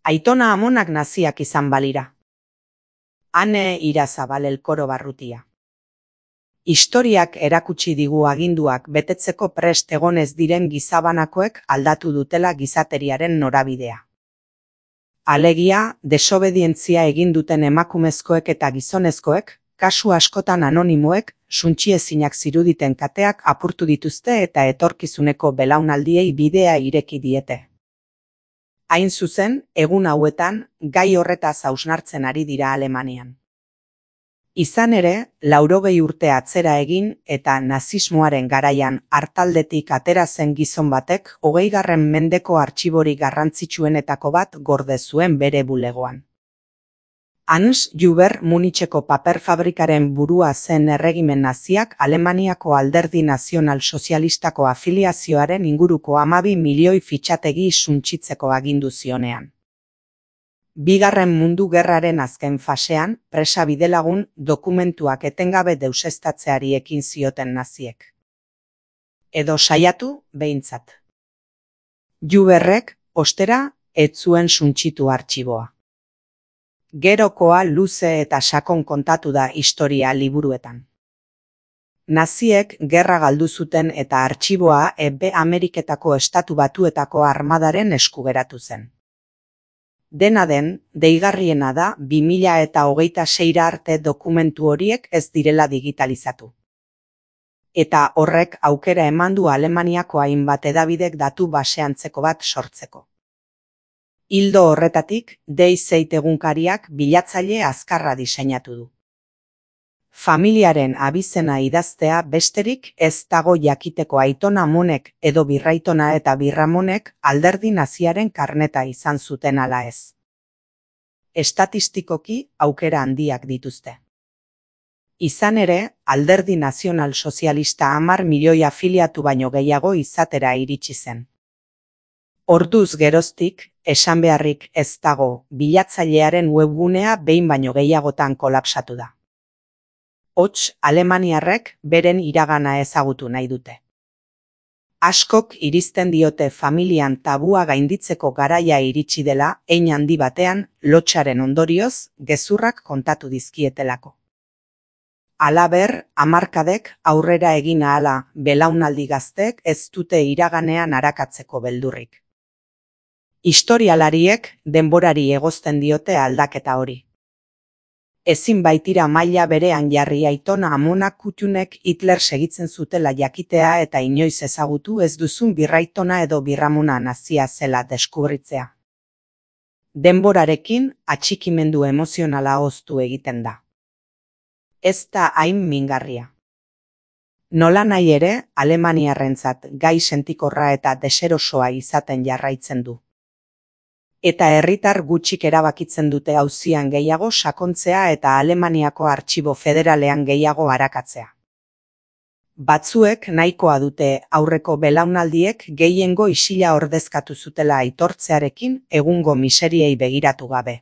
Aitona amonak naziak izan balira. Ane Irazabal Elkoro Barrutia. Historiak erakutsi digu aginduak betetzeko prest egonez diren gizabanakoek aldatu dutela gizateriaren norabidea. Alegia, desobedientzia egin duten emakumezkoek eta gizonezkoek, kasu askotan anonimoek, suntsiezinak ziruditen kateak apurtu dituzte eta etorkizuneko belaunaldiei bidea ireki diete. Hain zuzen, egun hauetan, gai horretaz hausnartzen ari dira Alemanian. Izan ere, 80 urte atzera egin eta nazismoaren garaian artaldetik atera zen gizon batek 20. mendeko artxiborik garrantzitsuenetako bat gorde zuen bere bulegoan. Hans Huber Municheko paper fabrikaren burua zen erregimen naziak Alemaniako Alderdi Nazional Sozialistako afiliazioaren inguruko 12 milioi fitxategi suntsitzeko agindu zionean. Bigarren Mundu Gerraren azken fasean, presa bidelagun dokumentuak etengabe deuseztatzeari ekin zioten naziek. Edo saiatu, behintzat. Huberrek, ostera, ez zuen suntsitu artxiboa. Gerokoa luze eta sakon kontatu da historia liburuetan. Naziek gerra galdu zuten eta artxiboa Hego Ameriketako Estatu Batuetako armadaren esku geratu zen. Dena den, deigarriena da 2026 arte dokumentu horiek ez direla digitalizatu. Eta horrek aukera eman du Alemaniako hainbat hedabidek datu base antzeko bat sortzeko. Ildo horretatik, Die Zeit egunkariak bilatzaile azkarra diseinatu du. Familiaren abizena idaztea besterik ez dago jakiteko Aitona Amonek edo Birraitona eta Birramonek alderdi naziaren karneta izan zuten ala ez. Estatistikoki aukera handiak dituzte. Izan ere, Alderdi Nazional Sozialista 10 milioi afiliatu baino gehiago izatera iritsi zen. Orduz geroztik, esan beharrik ez dago, bilatzailearen webgunea behin baino gehiagotan kolapsatu da. Hots, alemaniarrek beren iragana ezagutu nahi dute. Askok irizten diote familian tabua gainditzeko garaia iritsi dela, hein handi batean, lotsaren ondorioz, gezurrak kontatu dizkietelako. Halaber, hamarkadek aurrera egin ahala belaunaldi gazteek ez dute iraganean arakatzeko beldurrik. Historialariek denborari egozten diote aldaketa hori. Ezin baitira maila berean jarri Aitona Amonak Kuttunek Hitler segitzen zutela jakitea eta inoiz ezagutu ez duzun Birraitona edo Birramona nazia zela deskubritzea. Denborarekin atxikimendu emozionala hoztu egiten da. Ez da hain mingarria. Nolanahi ere, alemaniarrentzat gai sentikorra eta deserosoa izaten jarraitzen du. Eta herritar gutxik erabakitzen dute auzian gehiago sakontzea eta Alemaniako artxibo federalean gehiago arakatzea. Batzuek nahikoa dute aurreko belaunaldiek gehiengo isila ordezkatu zutela aitortzearekin egungo miseriei begiratu gabe.